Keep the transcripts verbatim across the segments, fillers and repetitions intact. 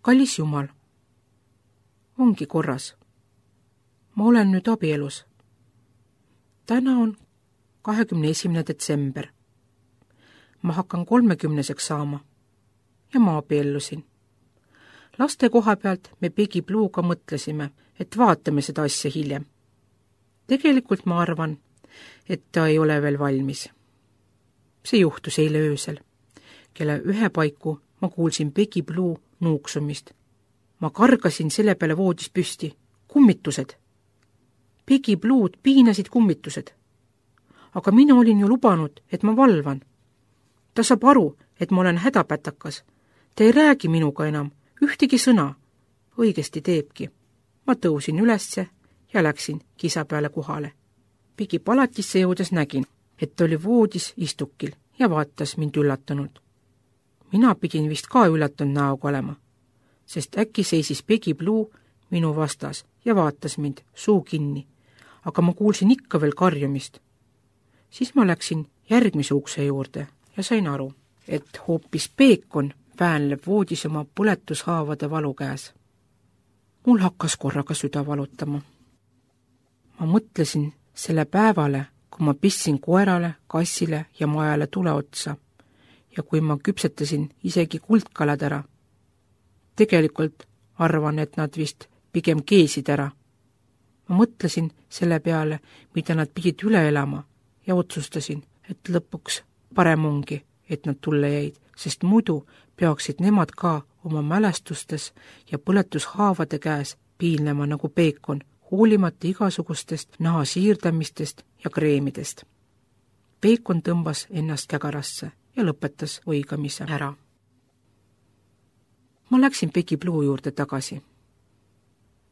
kallis Jumal, ongi korras. Ma olen nüüd abielus. Täna on kahekümne esimene detsember. Ma hakkan kolmekümneseks saama ja ma abiellusin. Laste koha pealt me Peggy Bluega mõtlesime, et vaatame seda asja hiljem. Tegelikult ma arvan, et ta ei ole veel valmis. See juhtus eile öösel. Kelle ühe paiku ma kuulsin Peggy Blue nuuksumist. Ma kargasin selle peale voodis püsti. Kummitused. Peggy Blue'd piinasid kummitused. Aga mina olin ju lubanud, et ma valvan. Ta saab aru, et ma olen hädapätakas. Ta ei räägi minuga enam, ühtegi sõna. Õigesti teebki. Ma tõusin ülesse ja läksin kisa peale kohale. Peggy palatisse jõudes nägin, et oli voodis istukil ja vaatas mind üllatunult. Mina pidin vist ka üllatunud näoga olema, sest äkki seisis Peggy Blue minu vastas ja vaatas mind suu kinni, aga ma kuulsin ikka veel karjumist. Siis ma läksin järgmise ukse juurde ja sain aru, et hoopis Peekon väänleb voodis oma põletushaavade valu käes. Mul hakkas korraga süda valutama. Ma mõtlesin selle päevale, kui ma pissin koerale, kassile ja majale tule otsa ja kui ma küpsetasin isegi kuldkalad ära. Tegelikult arvan, et nad vist pigem keesid ära. Ma mõtlesin selle peale, mida nad pidid üle elama ja otsustasin, et lõpuks parem ongi, et nad tulle jäid, sest muidu peaksid nemad ka oma mälestustes ja põletushaavade käes piinlema nagu Peekon, hoolimata igasugustest naha siirdamistest ja kreemidest. Peekon tõmbas ennast kägarasse ja lõpetas õigamise ära. Ma läksin Peggy Blue juurde tagasi.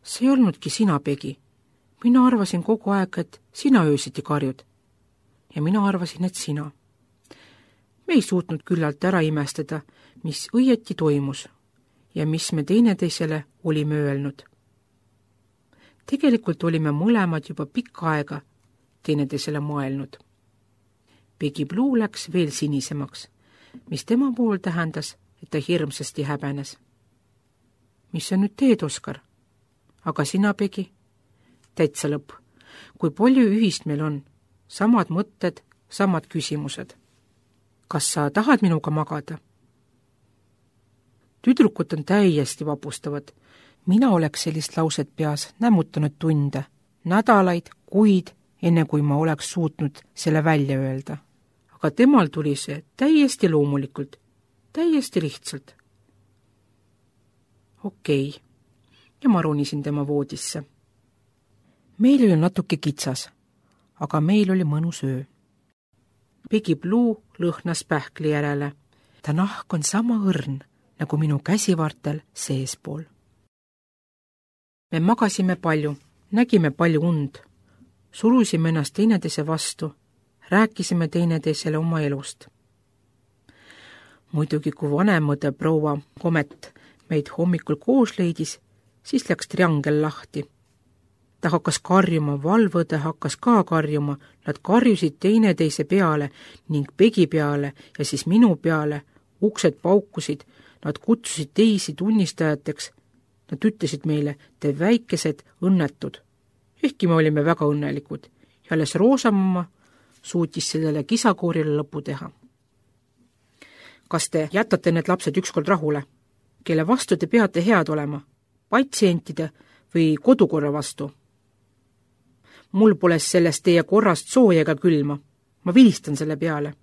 See ei olnudki sina, Peggy. Mina arvasin kogu aeg, et sina öösiti karjud. Ja mina arvasin, et sina. Me ei suutnud küllalt ära imestada, mis õieti toimus ja mis me teineteisele olime öelnud. Tegelikult olime mõlemad juba pikka aega teineteisele mõelnud. Peggy Blue läks veel sinisemaks, mis tema puhul tähendas, et ta hirmsasti häbenes. Mis sa nüüd teed, Oskar? Aga sina, Peggy? Täitsa lõpp. Kui palju ühist meil on? Samad mõtted, samad küsimused. Kas sa tahad minuga magada? Tüdrukud on täiesti vapustavad. Mina oleks sellist lauset peas nämmutanud tunde, nädalaid, kuid, enne kui ma oleks suutnud selle välja öelda. Aga temal tuli see täiesti loomulikult, täiesti lihtsalt. Okei, okay. Ja ma ronisin tema voodisse. Meil oli natuke kitsas, aga meil oli mõnus öö. Peggy Blue lõhnas pähkli järele. Ta nahk on sama õrn, nagu minu käsivartel seespool. Me magasime palju, nägime palju und, surusime ennast teineteise vastu, rääkisime teineteisele oma elust. Muidugi, kui vanemõde proua Komet meid hommikul koos leidis, siis läks triangel lahti. Ta hakkas karjuma, valvõde hakkas ka karjuma, nad karjusid teineteise peale ning Peggy peale ja siis minu peale, uksed paukusid, nad kutsusid teisi tunnistajateks, nad ütlesid meile, te väikesed õnnetud. Ehkki me olime väga õnnelikud ja alles Roosamamma suutis sellele kisakoorile lõpu teha. Kas te jätate need lapsed ükskord rahule? Kelle vastu te peate head olema? Patsientide või kodukorra vastu? Mul pole sellest teie korrast sooja ega külma. Ma vilistan selle peale.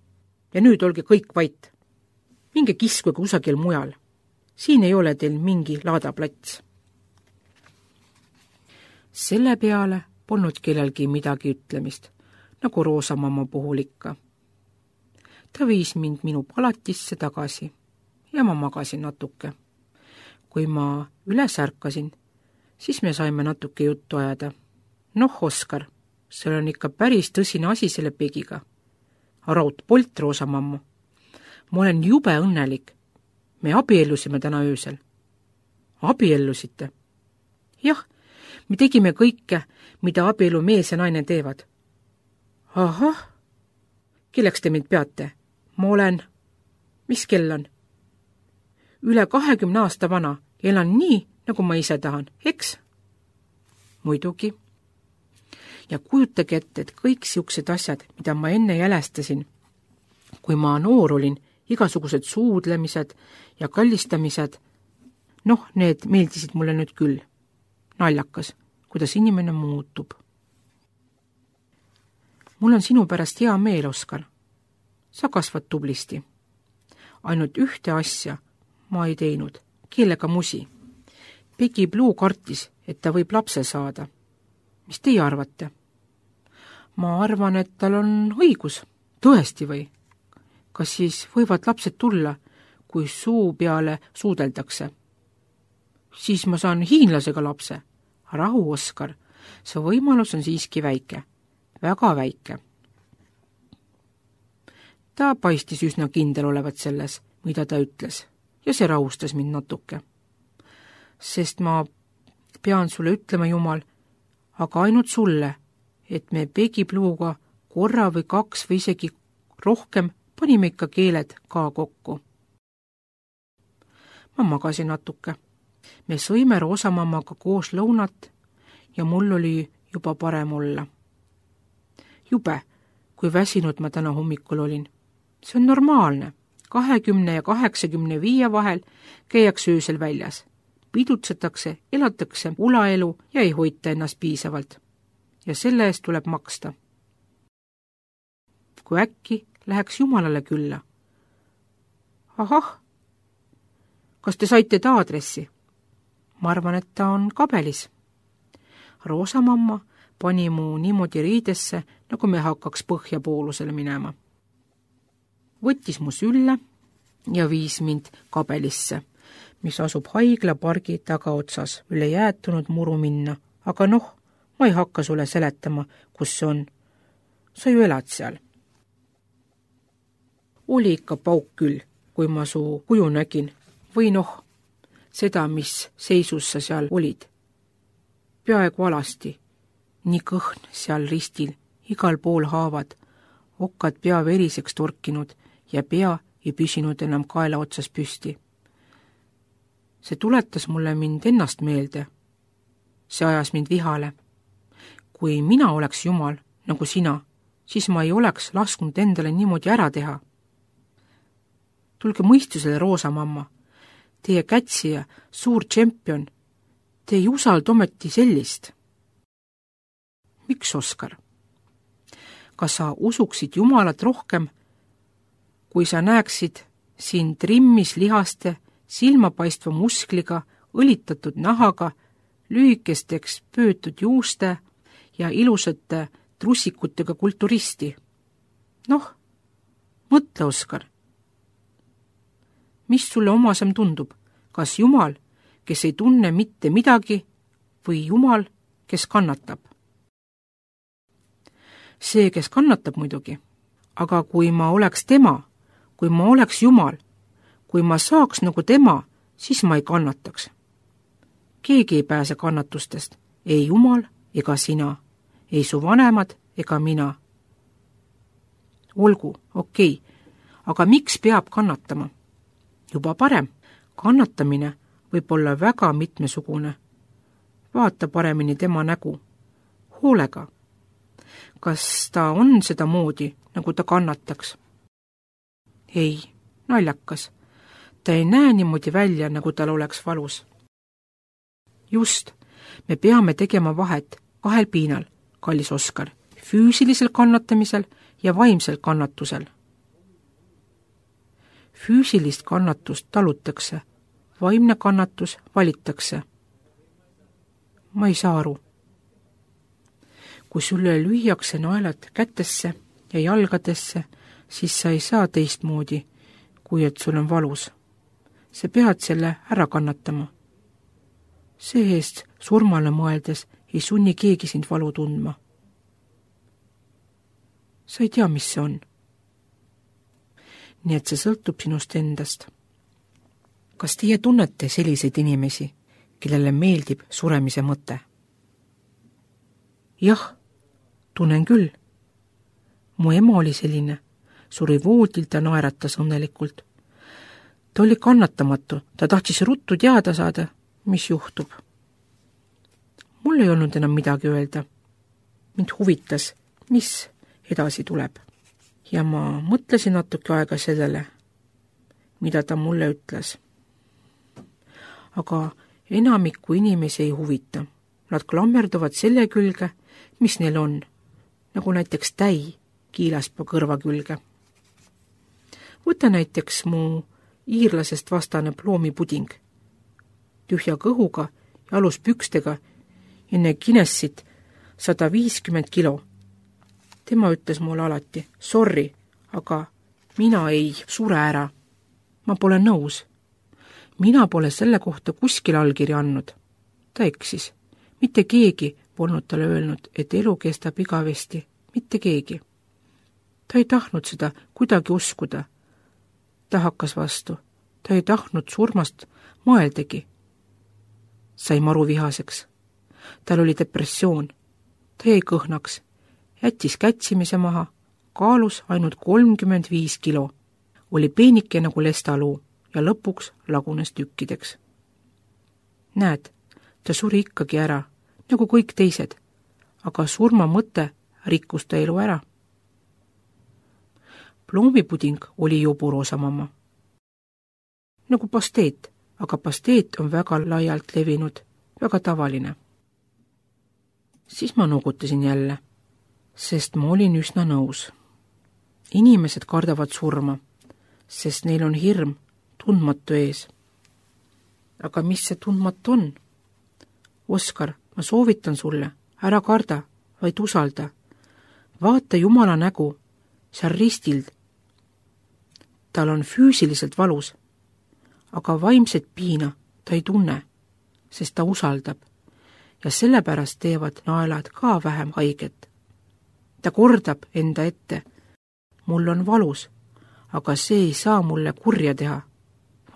Ja nüüd olge kõik vait. Minge kiskuge kusagil mujal. Siin ei ole teil mingi laadaplats. Selle peale polnud kellelgi midagi ütlemist, nagu Roosamamma puhul ikka. Ta viis mind minu palatisse tagasi ja ma magasin natuke. Kui ma üles ärkasin, siis me saime natuke juttu ajada. Noh, Oskar, see on ikka päris tõsine asi selle Peggyga. Raudpolt, Roosamamma. Ma olen jube õnnelik. Me abiellusime täna öösel. Abiellusite? Jah, me tegime kõike, mida abielu mees ja naine teevad. Ahah, kelleks te mind peate? Ma olen... Mis kell on? üle kahekümne aasta vana ja elan nii, nagu ma ise tahan, eks? Muidugi. Ja kujutage ette, et kõik siuksed asjad, mida ma enne jälestasin, kui ma noor olin, igasugused suudlemised ja kallistamised, noh, need meeldisid mulle nüüd küll. Naljakas, kuidas inimene muutub. Mul on sinu pärast hea meel, Oskar. Sa kasvad tublisti. Ainult ühte asja ma ei teinud, keelega musi. Peggy Blue kartis, et ta võib lapse saada. Mis teie arvate? Ma arvan, et tal on õigus. Tõesti või? Kas siis võivad lapsed tulla, kui suu peale suudeldakse? Siis ma saan hiinlasega lapse. Rahu, Oskar. See võimalus on siiski väike. Väga väike. Ta paistis üsna kindel olevat selles, mida ta ütles, ja see rahustas mind natuke. Sest ma pean sulle ütlema, Jumal, aga ainult sulle, et me Peggy Bluega korra või kaks või isegi rohkem panime ikka keeled ka kokku. Ma magasin natuke. Me sõime Roosamammaga koos lõunat ja mul oli juba parem olla. Jube, kui väsinud ma täna hommikul olin. See on normaalne. kahekümne ja kaheksakümne viie vahel käiakse öösel väljas. Pidutsetakse, elatakse ulaelu ja ei hoita ennast piisavalt. Ja selle eest tuleb maksta. Kui äkki läheks Jumalale külla. Ahah, kas te saite ta aadressi? Ma arvan, et ta on kabelis. Roosamamma pani mu niimoodi riidesse, nagu me hakkaks põhjapoolusele minema. Võttis mu sülle ja viis mind kabelisse, mis asub haiglapargi tagaotsas üle jäätunud muru minna. Aga noh, ma ei hakka sulle seletama, kus see on. Sa ju elad seal. Oli ikka pauk küll, kui ma su kuju nägin. Või noh, seda, mis seisus sa seal olid. Peaaegu alasti. Nii kõhn seal ristil, igal pool haavad, okkad pea veriseks torkinud ja pea ei püsinud enam kaela otsas püsti. See tuletas mulle mind ennast meelde. See ajas mind vihale. Kui mina oleks Jumal, nagu sina, siis ma ei oleks lasknud endale niimoodi ära teha. Tulge mõistusele, Roosamamma. Teie kätsija, suur tšempion. Te ei usalda ometi sellist. Miks, Oskar? Kas sa usuksid Jumalat rohkem, kui sa näeksid siin trimmis lihaste, silmapaistva muskliga, õlitatud nahaga, lühikesteks pöötud juuste ja ilusate trussikutega kulturisti? Noh, mõtle, Oskar. Mis sulle omasem tundub? Kas Jumal, kes ei tunne mitte midagi, või Jumal, kes kannatab? See, kes kannatab muidugi. Aga kui ma oleks tema, kui ma oleks Jumal, kui ma saaks nagu tema, siis ma ei kannataks. Keegi ei pääse kannatustest, ei Jumal ega sina, ei su vanemad ega mina. Olgu, okei, aga miks peab kannatama? Juba parem, kannatamine võib olla väga mitmesugune. Vaata paremini tema nägu, hoolega. Kas ta on seda moodi, nagu ta kannataks? Ei, naljakas. Ta ei näe niimoodi välja, nagu tal oleks valus. Just, me peame tegema vahet kahel piinal, kallis Oskar, füüsilisel kannatamisel ja vaimsel kannatusel. Füüsilist kannatust talutakse, vaimne kannatus valitakse. Ma ei saa aru. Kui sulle lüüakse naelad kätesse ja jalgadesse, siis sa ei saa teistmoodi, kui et sul on valus. Sa pead selle ära kannatama. See eest surmale mõeldes ei sunni keegi sind valu tundma. Sa ei tea, mis see on. Nii et see sõltub sinust endast. Kas teie tunnete selliseid inimesi, kellele meeldib suremise mõte? Jah, tunnen küll. Mu ema oli selline, suri voodil, ta naeratas õnnelikult. Ta oli kannatamatu, ta tahtis ruttu teada saada, mis juhtub. Mul ei olnud enam midagi öelda. Mind huvitas, mis edasi tuleb. Ja ma mõtlesin natuke aega sellele, mida ta mulle ütles. Aga enamikku inimesi ei huvita. Nad klammerduvad selle külge, mis neil on, nagu näiteks täi kiilaspaa kõrva külge. Võta näiteks mu iirlasest vastane ploomipuding, tühja kõhuga ja aluspükstega enne Guinnessit sada viiskümmend kilo. Tema ütles mulle alati, sorry, aga mina ei sure ära. Ma pole nõus. Mina pole selle kohta kuskil allkirja andnud. Ta eksis. Mitte keegi polnud talle öelnud, et elu kestab igavesti. Mitte keegi. Ta ei tahtnud seda kuidagi uskuda. Ta hakkas vastu. Ta ei tahtnud surmast mõeldagi. Sai maru vihaseks. Tal oli depressioon. Ta jäi kõhnaks. Jättis kätsimise maha. Kaalus ainult kolmkümmend viis kilo. Oli peenike nagu lestaluu ja lõpuks lagunes tükkideks. Näed, ta suri ikkagi ära, nagu kõik teised, aga surma mõte rikkus ta elu ära. Ploomipuding oli joburoosamamma. Nagu pasteet, aga pasteet on väga laialt levinud, väga tavaline. Siis ma nugutasin jälle, sest ma olin üsna nõus. Inimesed kardavad surma, sest neil on hirm tundmatu ees. Aga mis see tundmatu on? Oskar, ma soovitan sulle, ära karda, vaid usalda. Vaata Jumala nägu, seal ristild. Tal on füüsiliselt valus, aga vaimset piina ta ei tunne, sest ta usaldab ja sellepärast teevad naelad ka vähem haiget. Ta kordab enda ette, mul on valus, aga see ei saa mulle kurja teha.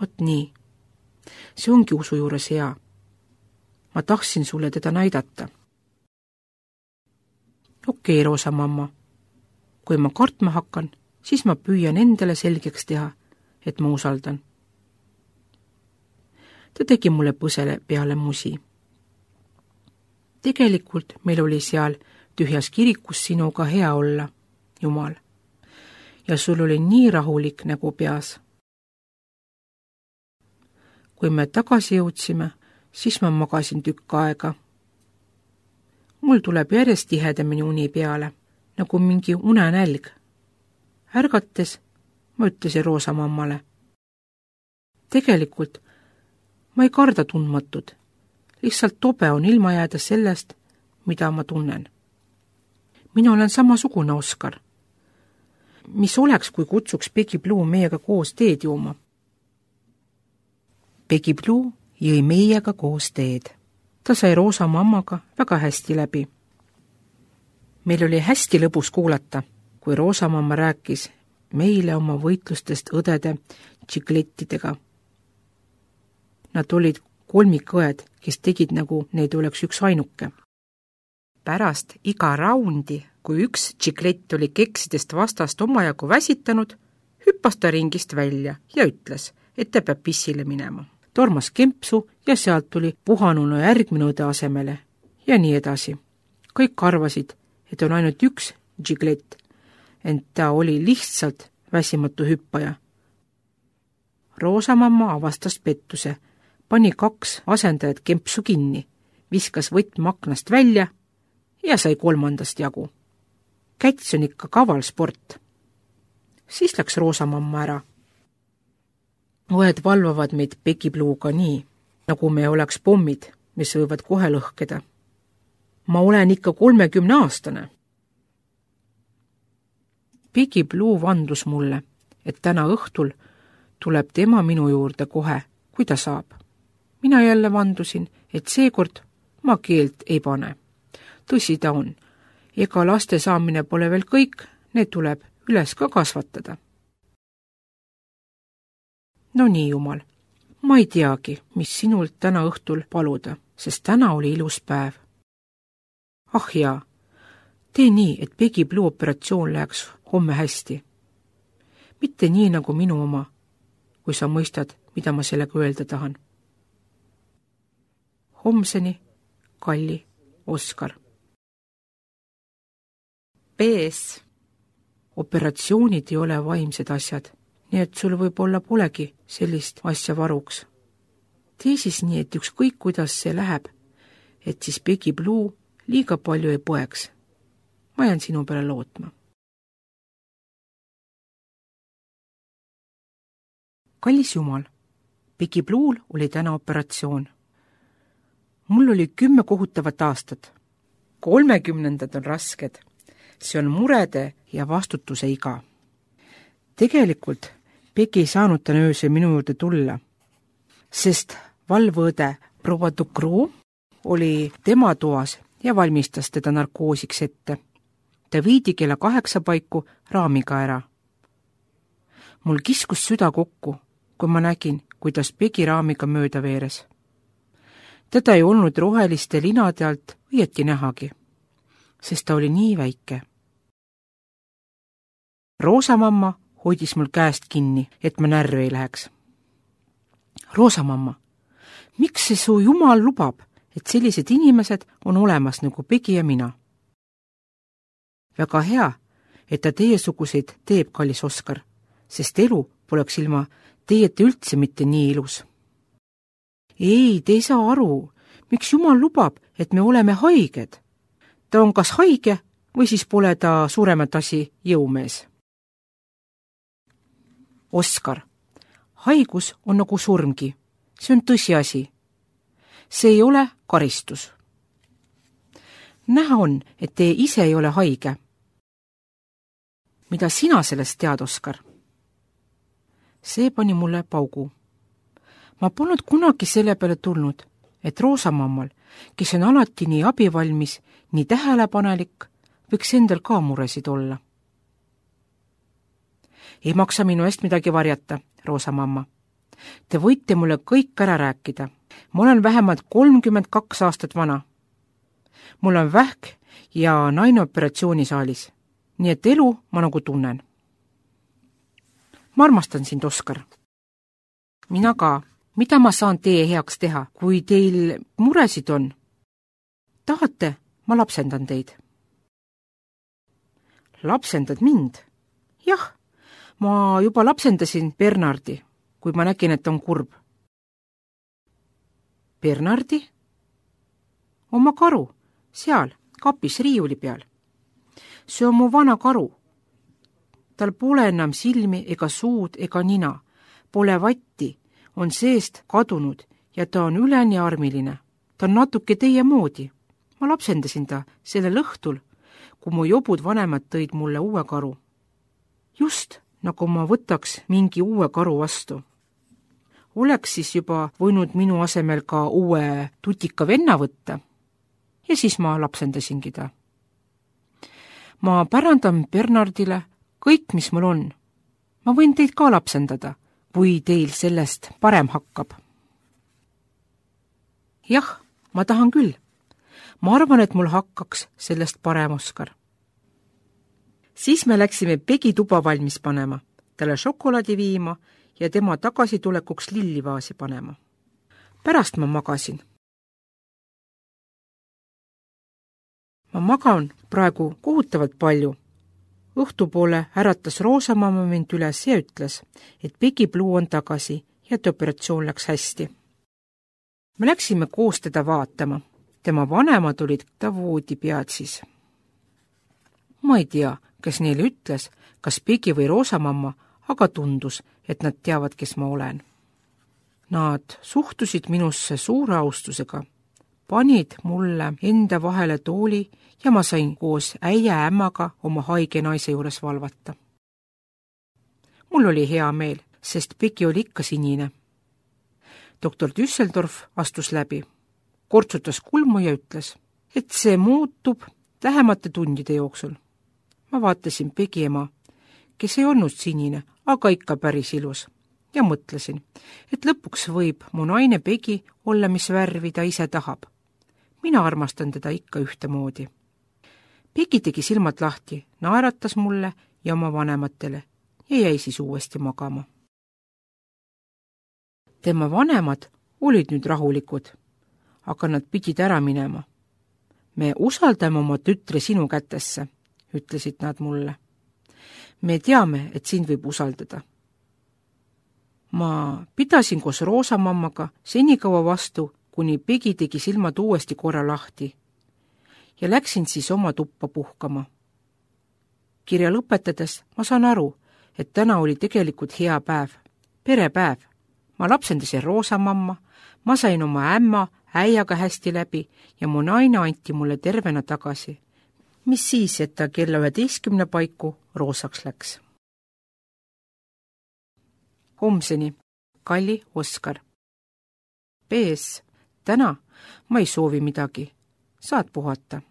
Vot nii. See ongi usu juures hea. Ma tahtsin sulle teda näidata. Okei, Roosa mamma. Kui ma kartma hakkan, siis ma püüan endale selgeks teha, et ma usaldan. Ta tegi mulle põsele peale musi. Tegelikult meil oli seal tühjas kirikus sinuga hea olla, Jumal. Ja sul oli nii rahulik nägu peas. Kui me tagasi jõudsime, siis ma magasin tükk aega. Mul tuleb järjest tihedamini uni peale, nagu mingi unenälg. Ärgates ma ütlesin Roosa mammale. Tegelikult ma ei karda tundmatud. Lihtsalt tobe on ilma jääda sellest, mida ma tunnen. Mina olen samasugune Oskar. Mis oleks, kui kutsuks Peggy Blue meiega koos teed juuma? Peggy Blue jõi meiega koos teed. Ta sai Roosa mammaga väga hästi läbi. Meil oli hästi lõbus kuulata, kui Roosa mamma rääkis meile oma võitlustest õdede tšiklettidega. Nad olid kolmikõed, kes tegid nagu neid oleks üks ainuke. Pärast iga raundi, kui üks tšiklett oli keksidest vastast omajagu väsitanud, hüppas ta ringist välja ja ütles, et ta peab pissile minema. Tormas kempsu ja sealt tuli puhanunu järgmine õde asemele ja nii edasi. Kõik arvasid, et on ainult üks tšiklett, ent ta oli lihtsalt väsimatu hüppaja. Roosa mamma avastas pettuse, pani kaks asendajat kempsu kinni, viskas võtme aknast välja ja sai kolmandast jagu. Käts on ikka kaval sport. Siis läks Roosa mamma ära. Õed valvavad meid Peggy Bluega nii, nagu me oleks pommid, mis võivad kohe lõhkeda. Ma olen ikka kolmekümne aastane. Peggy Blue vandus mulle, et täna õhtul tuleb tema minu juurde kohe, kui ta saab. Mina jälle vandusin, et seekord ma keelt ei pane. Tõsi ta on. Ega laste saamine pole veel kõik, need tuleb üles ka kasvatada. No nii, Jumal, ma ei teagi, mis sinult täna õhtul paluda, sest täna oli ilus päev. Ah jaa, tee nii, et Peggy Blue operatsioon läheks homme hästi. Mitte nii nagu minu oma. kui sa mõistad, mida ma sellega öelda tahan. Homseni, Kalli, Oskar. B S. Operatsioonid ei ole vaimsed asjad, nii et sul võib-olla polegi sellist asja varuks. Tee siis nii, et ükskõik kuidas see läheb, et siis Peggy Blue liiga palju ei poeks. Ma jään sinu peale lootma. Kallis Jumal, Peggy Blue'l oli täna operatsioon. Mul oli kümme kohutavat aastat. Kolmekümnendad on rasked. See on murede ja vastutuse iga. Tegelikult Peggy ei saanud täna öösel minu juurde tulla, sest valvõõde proua Ducroo oli tema toas ja valmistas teda narkoosiks ette. Ta viidi kella kaheksa paiku raamiga ära. Mul kiskus süda kokku, kui ma nägin, kuidas Peggy raamiga mööda veeres. Teda ei olnud roheliste linade alt õieti nähagi, sest ta oli nii väike. Roosamamma hoidis mul käest kinni, et ma närvi ei läheks. Roosamamma, miks see su Jumal lubab, et sellised inimesed on olemas nagu Peggy ja mina? Väga hea, et ta teiesuguseid teeb, kallis Oskar, sest elu poleks ilma teieta üldse mitte nii ilus. Ei, te ei saa aru, miks Jumal lubab, et me oleme haiged. Ta on kas haige või siis pole ta suuremat asi jõumees. Oskar, haigus on nagu surmgi. See on tõsiasi. See ei ole karistus. Näha on, et te ise ei ole haige. Mida sina sellest tead, Oskar? See pani mulle paugu. Ma polnud kunagi selle peale tulnud, et Roosamammal, kes on alati nii abivalmis, nii tähelepanelik, võiks endal ka muresid olla. Ei maksa minu eest midagi varjata, Roosamamma. Te võite mulle kõik ära rääkida. Ma olen vähemalt kolmkümmend kaks aastat vana. Mul on vähk ja naine operatsioonisaalis, nii et elu ma nagu tunnen. Ma armastan sind, Oskar. Mina ka. Mida ma saan teie heaks teha, kui teil muresid on? Tahate, ma lapsendan teid. Lapsendad mind? Jah, ma juba lapsendasin Bernardi, kui ma nägin, et on kurb. Bernardi? Oma karu, seal, kapis riiuli peal. See on mu vana karu. Tal pole enam silmi ega suud ega nina, pole vatti, on seest kadunud ja ta on üleni armiline. Ta on natuke teie moodi. Ma lapsendasin ta sellel õhtul, kui mu jobud vanemad tõid mulle uue karu. Just nagu ma võtaks mingi uue karu vastu. Oleks siis juba võinud minu asemel ka uue tutika venna võtta. Ja siis ma lapsendasingi ta. Ma pärandan Bernardile kõik, mis mul on. Ma võin teid ka lapsendada, kui teil sellest parem hakkab. Jah, ma tahan küll. Ma arvan, et mul hakkaks sellest parem, Oskar. Siis me läksime Peggy tuba valmis panema, talle šokolaadi viima ja tema tagasitulekuks lillivaasi panema. Pärast ma magasin. Ma magan praegu kohutavalt palju. Õhtupoole äratas Roosamamma mind üles ja ütles, et Peggy Blue on tagasi ja et operatsioon läks hästi. Me läksime koos teda vaatama. Tema vanemad olid ta voodi pead siis. Ma ei tea, kes neile ütles, kas Peggy või Roosamamma, aga tundus, et nad teavad, kes ma olen. Nad suhtusid minusse suure austusega, panid mulle enda vahele tooli ja ma sain koos äia ämmaga oma haige naise juures valvata. Mul oli hea meel, sest Peggy oli ikka sinine. Doktor Düsseldorf astus läbi, kortsutas kulmu ja ütles, et see muutub lähemate tundide jooksul. Ma vaatasin Peggy ema, kes ei olnud sinine, aga ikka päris ilus, ja mõtlesin, et lõpuks võib mu naine Peggy olla, mis värvi ta ise tahab. Mina armastan teda ikka ühtemoodi. Peggy tegi silmad lahti, naeratas mulle ja oma vanematele ja jäi siis uuesti magama. tema vanemad olid nüüd rahulikud, aga nad pidid ära minema. Me usaldame oma tütre sinu kätesse, ütlesid nad mulle. Me teame, et sind võib usaldada. Ma pidasin koos Roosamammaga senikaua vastu, kuni Pegi tegi silmad uuesti korra lahti ja läksin siis oma tuppa puhkama. Kirja lõpetades ma saan aru, et täna oli tegelikult hea päev, perepäev. Ma lapsendasin Roosamamma, ma sain oma ämma äiaga hästi läbi ja mu naine anti mulle tervena tagasi. Mis siis, et ta kella üheteistkümne paiku roosaks läks. Homseni, Kalli Oskar. P S. Täna ma ei soovi midagi. Saad puhata.